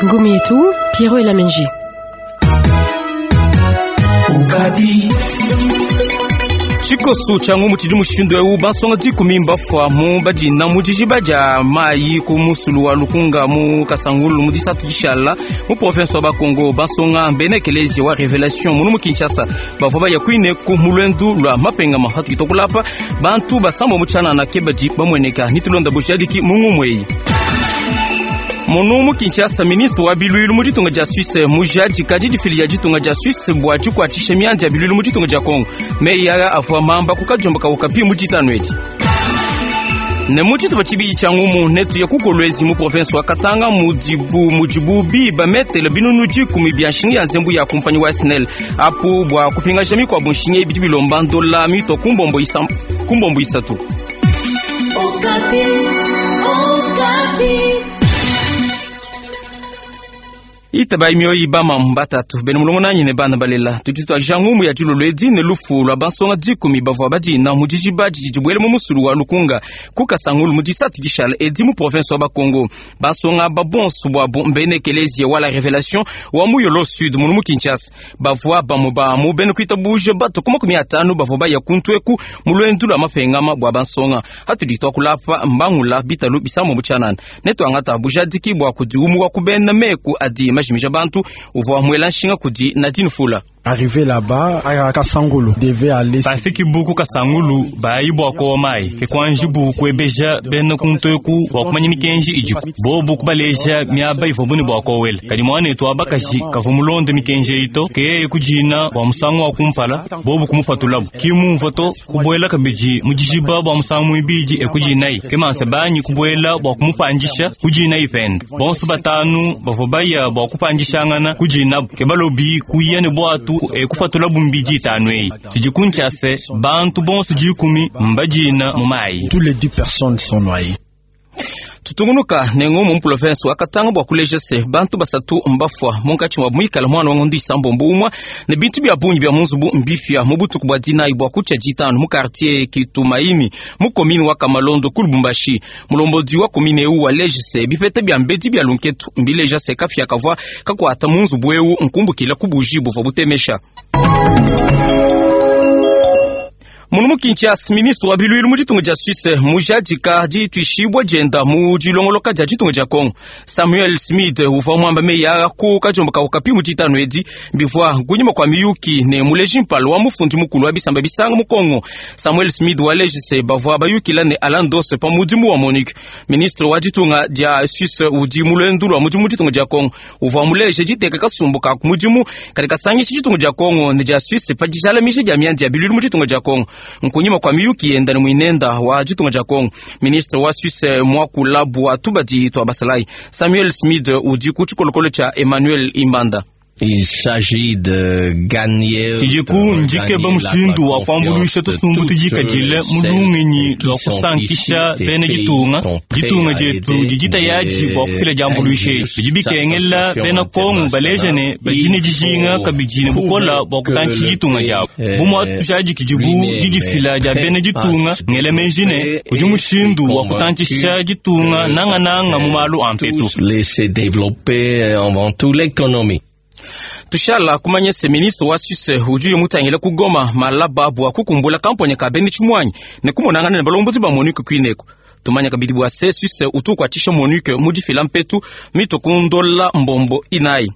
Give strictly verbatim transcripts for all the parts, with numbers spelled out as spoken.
Ngumu yetu Piero Elamenji. Tshikoso tshia ngumu tshidi mushindu eu bansonga dikumi mbafua mu badina mu dijiba dia mayi ku musulu wa Lukunga mu Kasangulu mu disatu dishala mu province wa Bakongo. Bansonga mbena ekelezia wa Revelation munu mu Kinshasa bavua baya kuineku mu lwendu lua mapengama hatukita kulapa bantu basambo mu tshianana ke badi bamueneka nitulonda bujadiki mu ngumu eyi. Munu mu Kinshasa, ministre wa bilwilu mu ditunga dia Suisse mujadika didifili dia ditunga dia Suisse bua dikuatshisha mianda ya bilwilu mu ditunga dia Congo. Meyi aya avua mamba ku kadiomba ka Okapi mu ditanu edi. Ne mu tshitupa tshibidi tshia ngumu netuye ku Kolwezi mu province wa Katanga mudibu mudibu biba metele binunu dikumi bia nshinga ya nzembu ya kumpanyi wa S N L apu bua kupingaja mikuabu nshinga ibidi bilomba ndola mito ku mbombo isa, ku mbombo isatu. Okapi, Okapi. Itabai mioyi bama mbatatu bene mulongo nanyi ne bana balela tudi tuaja ngumu ya dilolo edi ne lufu lwa bansonga dikumi bavua badina mu dijiba didi dibuele mu musulu wa Lukunga ku Kasangulu mu disatu dishala edi mu province wa Bakongo. Bansonga ba bonso bwabo mbene ekelezia wa la Revelation wa mu Yolo Sud munu mu Kinshasa bavua bamue ba mu bene kuitabuja bato ku makumi atanu bavua baya kuntu eku mu lwendu lwa mapengama bua bansonga hatudi tuakulapa mbangula bitalu bisambo mu tshianana ne tuangata bujadiki bua kudiumuka ku bena meku adi majimija bantu uvua mwela nshinga kudi Nadine Fula. Arrivé là-bas à Kasangulu devait aller bafiki buku Kasangulu bayi bua kowa mayi ke kuanji bu kuebeja bena kuntu eku bua kumanya mikenji idiku bobu kubaleja miaba ivua bune bua kowela kadi muanetu wa bakaji kavua mulonde mikenji eyi to ke yeye kudina bua musangu wa kumpala bobu kumupatulabu kimumvua to kubuela kabidi mu dijiba bua musangu muibidi ekudinayi ke mansa banyi kubuela bua kumupandisha kudinayi pende bonso batanu bavua baya bua kupandishangana kudinabu ke balobi kuya ne bwatu ekupatula bumbidi itanu eyi tudi kuntshiase bantu bonso dikumi mbadina mu mayi. Tous les dix personnes sont noyées. Tutungunuka ne ngumu mu province wa Katanga bua kuleja se bantu basatu mbafua munkatshi mua muikala mwana wa ngondu isambombo umwa ne bintu bia bungi bia mu nzubu mbifia mu butuku bua dinayi bua kutshia ditanu mu quartier Kitumaini mu commune wa Kamalondo ku Lubumbashi. Mulombodi wa commune eu waleje se bipeta bia mbedi bia lunketu mbileja se kapia kavua kakuata mu nzubu eu nkumbukila ku buji buvua butemesha. Munu mu Kinshasa, ministre wa bilwilu mu ditunga dia Suisse mujadika dituishibua dienda mu dilongoloka dia ditunga dia Congo. Samuel Smith uvua muamba meyi aa ku kadiomba ka Okapi mu ditanu edi bivua kunyima kua miyuki ne muleji mpala wa mufundi mukulu wa bisamba bisanga mu Congo. Samuel Smith waleji se bavua bayukila ne Alain Dosse pa mudimu wa MONUC. Ministre wa ditunga dia Suisse udi mu lwendu lua mudimu mu ditunga dia Congo uvua muleje diteka kasumbu ka mudimu kadi kasangisha ditunga dia Congo ne dia Suisse pa dijalamisha dia mianda ya bilwilu mu ditunga dia Congo. Nkunyima kwa miyuki yenda ne mwinenda wa ditunga dia Congo. Ministre wa Suisse mwakula bua tubadi twa basalai Samuel Smith udi ku tshikolokolo tshia Emmanuel Imbanda. Il s'agit de gagner Tshidiku ndikeba mushindu wa kuambuluisha tusumbu tudikadile mu lungenyi lua kusankisha bena ditunga ditunga dietu didi tayadi bua kufila diambuluisha edi bidi bikengela bena Kongo baleja ne badi ne dijinga kabidi ne bukola bua kutantshisha ditunga diabu bu mua tujadikidibu didifila dia bena ditunga ngela meji ne kudi mushindu wa kutantshisha ditunga nangananga mu malu a mpetu. Laisser développer avant tout l'économie. Tushala kumanya se ministre wa Suisse udi mutangila ku Goma malaba bua kukumbula kampanya ka bena tshimuanyi ne kumonangana ne balombozi ba MONUC kuineko. Tumanya kabidi bua se Suisse utu kuatshisha MONUC mu difila mpetu mito kundola mbombo inayi.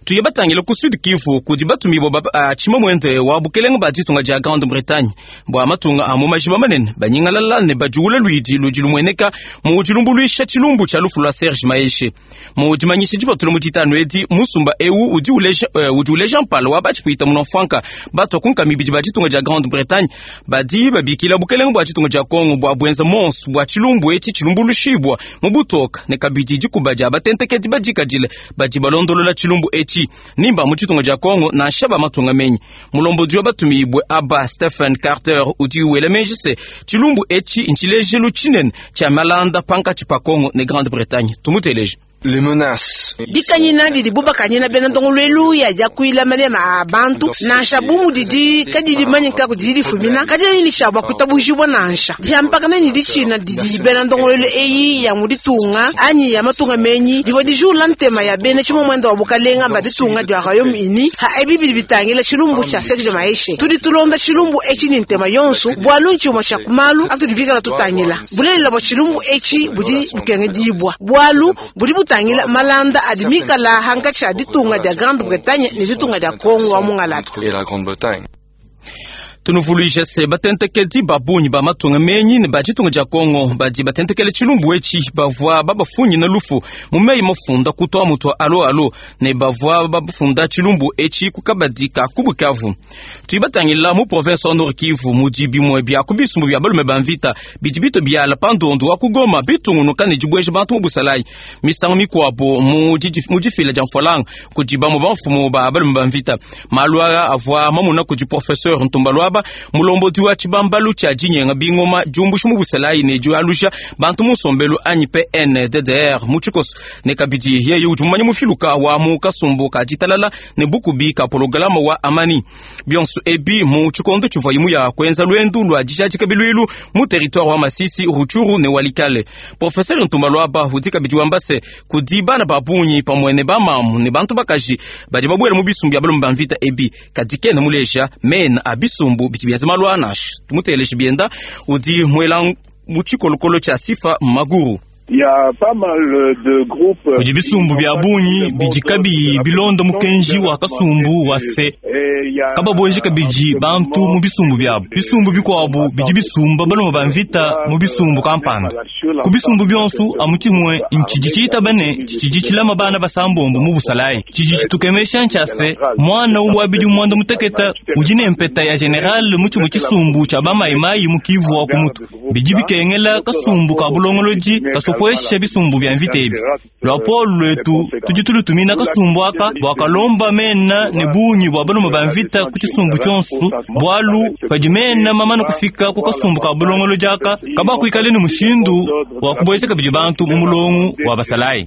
Tuye batangila ku Sud Kivu kudi batumibua ba uh, tshimamwende wa bukelenge ba ditunga dia Grande-Bretagne bua matunga a mu majiba manene banyingalala ne bajuula luidi ludi lumueneka mu dilumbuluisha tshilumbu tshia lufu lua Serge Maheshe. Mu dimanyisha dipatula mu ditanu edi musumba eu udi uleja uh, udi uleja mpala wa batshipuita munofranka batua ku nkama ibidi ba ditunga dia Grande-Bretagne badi babikila bukelenge bua ditunga dia Congo bua buenza monso bua tshilumbu etshi tshilumbuluishibua mu butoka ne kabidi dikuba dia batentekedi badikadile badi balondolola tshilumbu etshi nimba mu ditunga dia Congo nansha ba matunga menyi. Mulombodi wa batumibue aba Stephen Carter udi wela meji se tshilumbu etshi ntshilejelu tshinene tshia malanda pankatshi pa Congo ne Grande-Bretagne. Tumuteleje. Les menaces. Dikanyina didibu bakanyina bena ndongoluelu ya diakuila malema a bantu nansha bu mudidi kadidi dimanyika kudi difumina kadiena ne bua kuitabujibua nansha diampakana ne ditshina didi bena ndongoluelu eyi ya mu ditunga anyi ya matunga menyi divua dijula ntema ya bena tshimomwenda wa bukalenga ba ditunga dia Royaume-Uni ha ebi bidi bitangila tshilumbu tshia Serge Maheshe. Tudi tulonda tshilumbu etshi ne ntema yonso bualu ntshimue tshia ku malu atudi bikala tutangila bulelela bua tshilumbu etshi budi bukengedibua bualu budi butangila malanda adi mikala hankatshi a ditunga dia Grande-Bretagne ne ditunga dia Congo wa mungalata. Et la Grande-Bretagne. Tunuvuluije se batentekedi ba bungi ba matunga menyi ne ba ditunga dia Kongo badi batentekele tshilumbu etshi bavua babafunyina lufu mu meyi mafunda kutua mutua alo alo ne bavua bafunda tshilumbu etshi ku kabadi ka ku Bukavu. Tudi batangila mu province wa Nord Kivu mudi bimue bia ku bisumbu bia balume ba mvita bidi bito biala pa ndondu wa ku Goma bitungunuka ne dibueja bantu mu busalayi misangu mikuabo mu difila dia mfualanga kudi bamue bamfumu ba balume ba mvita. Malu aa avua mamuna kudi professeur Ntumba Luaba mulombodi wa tshibambalu tshia dinyenga bingoma diumbusha mu busalayi ne dialusha bantu mu nsombelu anyi P N D D R mu tshikoso ne kabidi yeye udi mumanya mufiluka wa mu kasumbu ka ditalala ne bukubi ka pologalama wa amani bionso ebi mu tshikondo tshivua imu ya kuenza lwendu lua dijadika biluilu mu territoire wa Masisi, Rutshuru ne Walikale. Professeur Ntumba Luaba udi kabidi wamba se kudi bana ba bungi pamue ne bamamu ne bantu bakaji badi babuela mu bisumbu bia balume ba mvita ebi kadi kena muleja mena a bisumbu bidi bienza malu anashi. Tumuteleje bienda udi muela mu tshikolokolo tshia Sifa Maguru. Kudi bisumbu bia bungi bidi kabiyi bilonda mukenji wa kasumbu wa se kababweji kabidi bantu mu bisumbu biabu. Bisumbu bikuabu bidi bisumba balume ba mvita mu bisumbu kampanda. Ku bisumbu bionso amu tshimue ntshidi tshitaba ne tshidi tshilama bana basambombo mu busalayi. Tshidi tshitukemesha ntshia se mwana wa bidi muanda muteketa udi ne mpeta ya general mu tshimue tshisumbu tshia bamayimayi mu Kivu wa ku mutu. Bidi bikengela kasumbu ka bulongolodi kasopuesha bisumbu bia mvita ebi. Lwapolo lwetu tudi tulutumina kasumbu aka bua kalomba mena ne bungi bua balume ba mvita ku tshisumbu tshionso, bualu padi mena mamana kufika ku kasumbu ka bulongolodi aka kabakuikale ne mushindu wa kubueja kabidi bantu mu mulongo wa basalayi.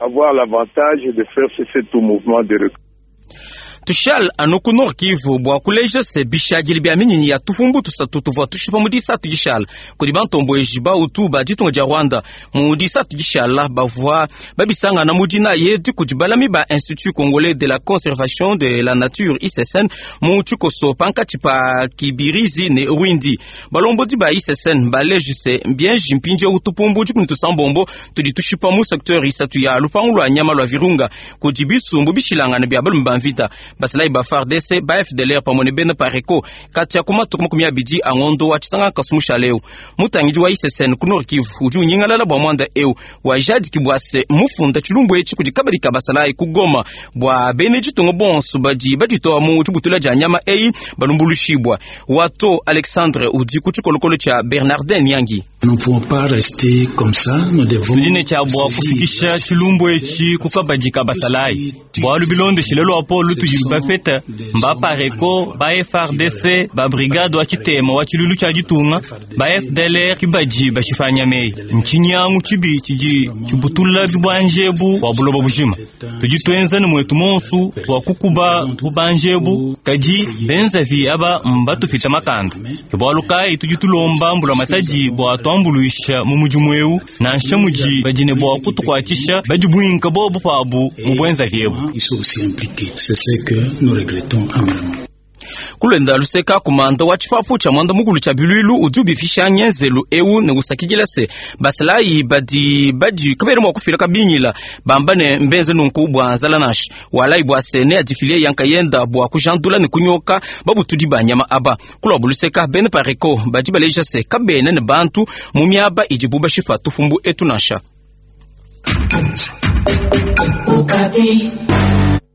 Tushal anu ku Nord Kivu bua kuleja se bishadile bia minyinyi ya tupumbu tusatu tuvua tushipa mu disatu dishala kudi bantomboeji bautu ba ditunga dia Rwanda. Mu disatu dishala bavua babisangana mu dina yedi kudi balami ba Institut Congolais de la Conservation de la Nature I C S N mu tshikoso pankatshi pa Kibirizi ne Rwindi. Balombodi ba I C S N baleje se mbienji mpindieu tupumbu dikumi tusambombo tudi tushipa mu secteur isatu ya lupangu lua nyama lua Virunga kudi bisumbu bishilangana bia balume ba mvita basalayi ba F A R D C ba F D L R pamue ne bena Pareco kati ya ku matuku makumi abidi a ngondo wa tshisanga kasumusha leo. Mutangidi wa I C S N ku Nord Kivu udi unyingalala bua muanda eu wajadiki bua se mufunda tshilumbu etshi kudi kabadi ka basalayi ku Goma bua bene ditunga bonso badi baditoa mu tshibutula dia nyama eyi balumbulushibwa. Wato Alexandre udi ku tshikolokolo tshia Bernardin Nyangi. Tudi ne tshia bua kufikisha tshilumbu etshi ku kabadi ka basalayi bualu bilondeshile lwapolo tudi bafeta mba Pareco ba F R D C ba brigade wa tshitema wa tshilulu tshia ditunga ba F D L R kibadi bashifanya meyi ntshinyangu tshibi tshidi tshibutula bibwanjebu bua buloba bujima. Tudi tuenza ne mwetu monsu bua kukuba bubanjebu kadi benzavi aba mbatupita makanda. Ke bualu kayi tudi tulomba mbula matadi bua tuambuluisha mu mudimu eu nansha mudi badi ne bua kutukuatshisha badi buinka bobu pabu mu bwenzavi ebu. Kulenda luseka kumanda wa tshipapu tshia mwanda mukulu tshia biluilu udi ubifisha ngenzelu eu ne usakidila se basalayi badi badi kabena mua kufila kabingila bamba ne mbenze nunku bua nzala nashi walayi bua se ne adifilie yankayenda bua kujandula ne kunyoka babutudi ba nyama aba. Kulwa buluseka bene Pareco badi baleja se kabena ne bantu mu miaba idibu bashipa tupumbu etu nansha.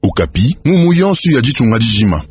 Okapi ngumu yonso ya ditunga dijima.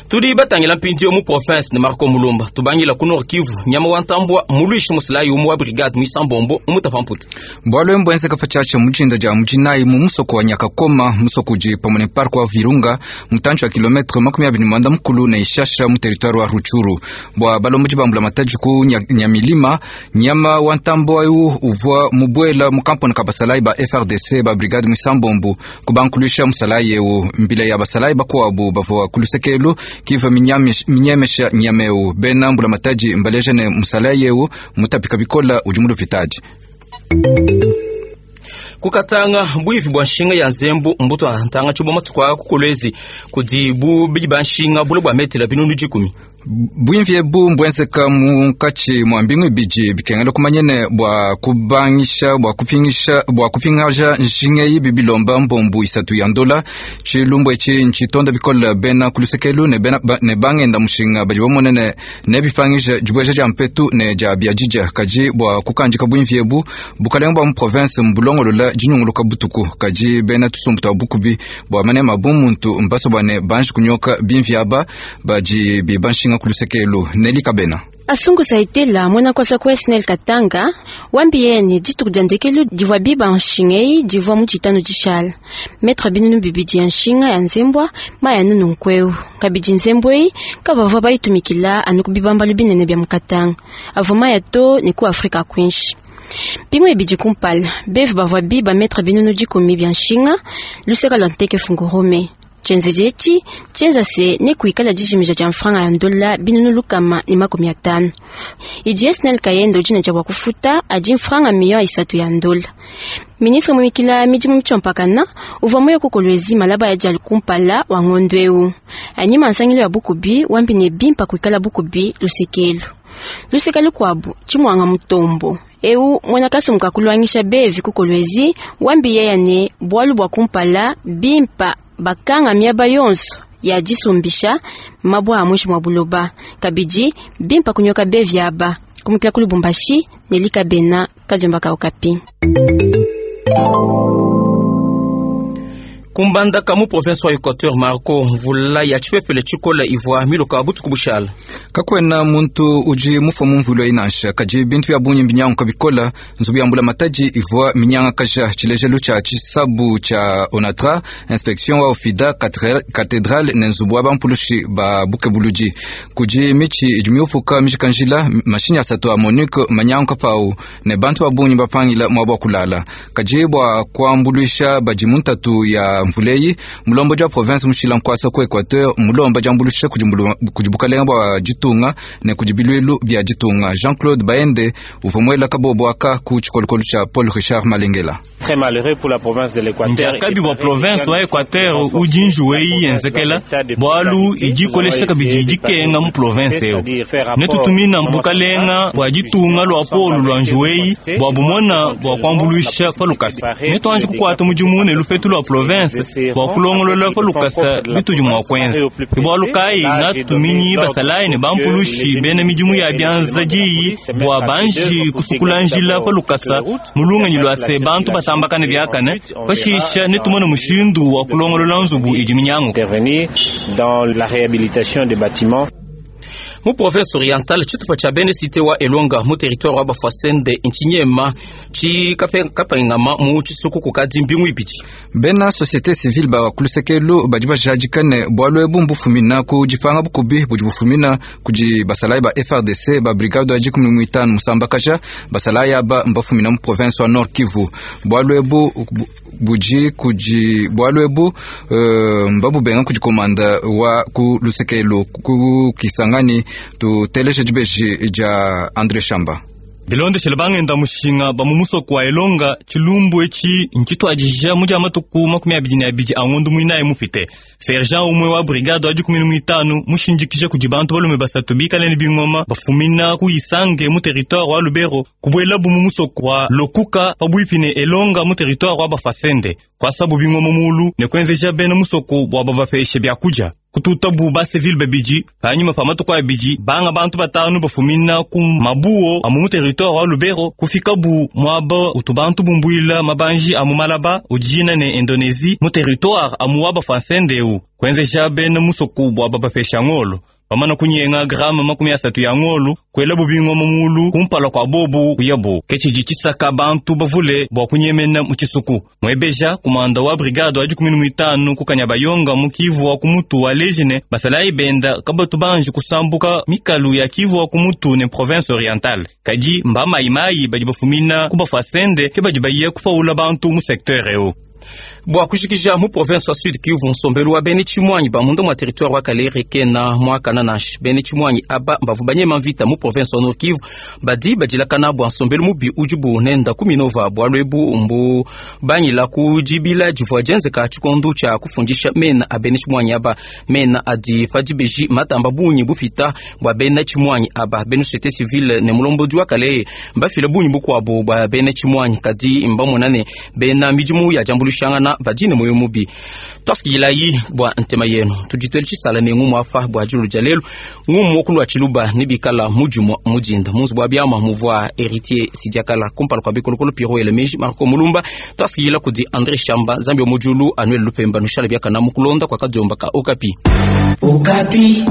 Tudi batangila mpindieu mu province ne Marco Mulumba tubangila ku Nord Kivu nyama wa ntambua muluishi musalayi umue wa brigade mwisambombo umutapa mputa. Bwalo mbwenzeka pachacha mujinda ja mujinayi mu musoko wa Nyakakoma musoko udi pamwe ne parc wa Virunga mutantshi wa kilometre makumi abiri mwanda mukulu na Ishasha mu territoire wa Rutshuru bwa balomboji bambula mataji ku Nyamilima nyama wa ntambo ayu uvwa mubwela mu kamponi ka basalayi ba F R D C ba brigade mwisambombo kubankulisha musalayi eu mbila ya basalayi bakuabu bavua kulusekelu kiva minyemesha nyameu bena mbula mataji mbaleja ne musalayi eu mutapika bikola udi mu lupitadi. Kukatanga bwivi bwa nshinga ya nzembu mbuto ntanga tshibo matuku kukolezi kudi bu bidi ba nshinga bule bwa metela binunu dikumi. Bwimvi ebu mbwenzeka munkatshi mwa mbingu ibidi bikengela kumanyene bwa kubangisha bwa kupingisha bwa kupingaja nshinga eyi bibilomba mbombu isatu ya ndola tshilumbu etshi ntshitonda bikola bena kulusekelu ne bena ba, ne bangenda mushinga badi bamonene ne bipangisha dibweja dia mpetu ne dia biadidja kaji bwa kukanjika bwimvi ebu bukalenga bwa mu province mbulongolola dinyunguluka butuku kaji bena tusumbu twa bukubi bwa manema bumuntu mbaso bwane banji kunyoka bimvi aba badi bibanshinga kulusekelu Neli Kabena. Asungu saitela mwana kwasa kwa S N L Katanga wambieni dituku dia ndekelu divua biba nshingei divua mu tshitanu tshishala metre binunu bibidi ya nshinga ya nzembwa maya nunu nkweu kabidi nzembwei kabavua bayitumikila anu kubibambalu binene bya mukatanga avua maya to ne ku Afrika kwinshi Pingo ebidi kumpala bevu bavua biba metre binunu dikumi bya nshinga luseka lwa nteke fungurume Chenzezechi chenza se ne kuikala dijimija ja mfranga ya ndola binunu lukama ni makumi atano. Idi S N L kayendo jina ja wakufuta adi mfranga miyo isatu ya ndola. Ministre mwikila midimu mchompakana uvwa moyo kukolwezi malaba ya jali kumpala wa ngondweu. Anyima nsangilo ya bukubi wambi ne bimpa kuikala bukubi lusekelu. Lusekelu kwabu chimwanga mutombo. Eu mwana kasumuka kulwangisha bevi kukolwezi wambi yeya ne bwalu bwa kumpala bimpa bakanga miaba yonso ya disumbisha mabwa amwishi mwa buloba kabidi bimpa kunyoka bevi aba kumukila ku Lubumbashi nelika bena kadiomba ka Okapi. Kumbandaka mu province wa Equateur Marco mvula ya tshipepele tshikola ivua miloka butuku bushala. Kakwena muntu uji mufa mu mvula inansha kaji bintu bya bunyi mbinyanguka bikola nzubu ya mbula mataji ivua minyanga kaja tshilejelu tsha tshisabu tsha Onatra inspection wa Ofida cathedrale ne nzubu wa bampulushi ba bukebuluji kuji michi idi miupuka mishikanjila mashinyi asatu a Monique manyanguka pau ne bantu ba bunyi bapangila mwabo kulala kaji bwa kuambuluisha badi muntatu ya mvuleyi mulombo ja province mushila nkwasa ku Equateur mulomba jambulusha kujibukalenga bwa ditunga ne kujibilwilu bya ditunga Jean-Claude Baende uvomwela kabobo aka ku tshikolokolo tsha Paul Richard Malengela. Très malheureux pour la province de l'Équateur. Njakabi wa province wa Equateur ujinjuwei yenzekela bwalu ijikolesha kabidi dikenga mu province eo netutumina bukalenga bwa ditunga lwa polu lwa njuwei bwa bumona bwa kuambuluisha pa lukasa netuanji kukwata mudimu ne lupetu lwa province bwa kulongolola pa lukasa bitudi mwa kwenza bwalu kayi ngatuminyi basalayi ne bampulushi bena midimu ya byanza diyi bwa banji kusukula njila pa lukasa mulunganyi lwa se bantu batambakane byakane bashisha netumone mushindu wa kulongolola nzubu idi minyangu intervenir dans la réhabilitation des bâtiments. Mu province orientale tshitupa tshia bene cité wa Elonga mu territoire wa Bafwasende ntshinyema tshi kapengama mu tshisuku kukadi mbingu ibidi. Bena société civile ba kulusekelu badi bajadikane bwalu ebu mbufumina ku dipanga bukubi budi bufumina kudi basalayi ba F R D C ba brigade ya dikumi muitanu musambakaja basalayi aba mbafumina mu province wa Nord Kivu bwalu ebu budi kudi bwalu ebu uh, mbabubenga kudi komanda wa ku lusekelu ku Kisangani tuteleje dibeji dia André Shamba. Bilondeshele bangenda mushinga ba mu musoko wa Elonga tshilumbu etshi ntshituadija mu dia matuku makumi abidi ne abidi a ngondu muinayi mupite. Sergent umwe wa brigade wa dikumi ne muitanu mushindikije kudi bantu balume basatu bikale ne bingoma bafumina ku Isange mu territoire wa Lubero kubuelabu mu musoko wa Lokuka pabuipi ne Elonga mu territoire wa Bafwasende. Kwasabu bingoma mulu ne kwenzeja bena musoko bwa babapeshe byakuja. Kututabu ba civil babidi panyuma pa matuku abidi banga bantu batanu bafumina ku mabuo amu mu territoire wa Lubero kufikabu mwaba utu bantu bumbuila mabanji amu Malaba ujina ne Indonesie mu territoire amu wa bafansendeu kwenzeja bena musoko bwa babapesha ngolo bamana kunyenga grama makumi asatu ya ngolu kwela bubingoma mulu kumpala kwa bobu kuyabo kechiji chisaka bantu bavule bwa kunyemena mu chisuku mwebeja kumanda wa brigade wa dikumi n'muitanu kukanya bayonga mu Kivu wa kumutu wa lejine basalayi benda kabatu banji kusambuka mikalu ya Kivu wa kumutu ne province orientale kadi mba mayimayi badi bafumina kubafasende ke badi baye kupaula bantu mu secteur eo. Bua kushikija mu province wa Sud Kivu nsombelu wa bene Tshimwanyi bamunda mwa territoire wa Kalere kena mwakana nashi bene Tshimwanyi aba mbavu banyema mvita mu province wa Nord Kivu badi badilakana bua nsombelu mubi ujibu nenda kuminova bua lwebu mbu banyila kujibila jivua jenzeka tshikondu tshia kufundisha mena a bene Tshimwanyi aba mena adi padibeji matamba bunyi bupita bua bene Tshimwanyi aba bene société civile ne mulombodi wa Kalere mbafile bunyi bukuabu bua bene Tshimwanyi kadi mbamonane bena midimu ya jambulushangana badine moyo mubi twasikililayi bua ntema yenu tuditwele tshisala ne ngumu apa bua diulu dia lelu ngumu wokulua tshiluba ne bikala mudimua mudinda munzu bua biama muvua héritier sidiakala kumpala kua bikolokolo Piro Elemeji Marco Mulumba twasikilila kudi André Shamba Nzambi wa mujulu Anuel Lupemba nushala biakana mukulonda kwa kadiomba ka Okapi. Okapi.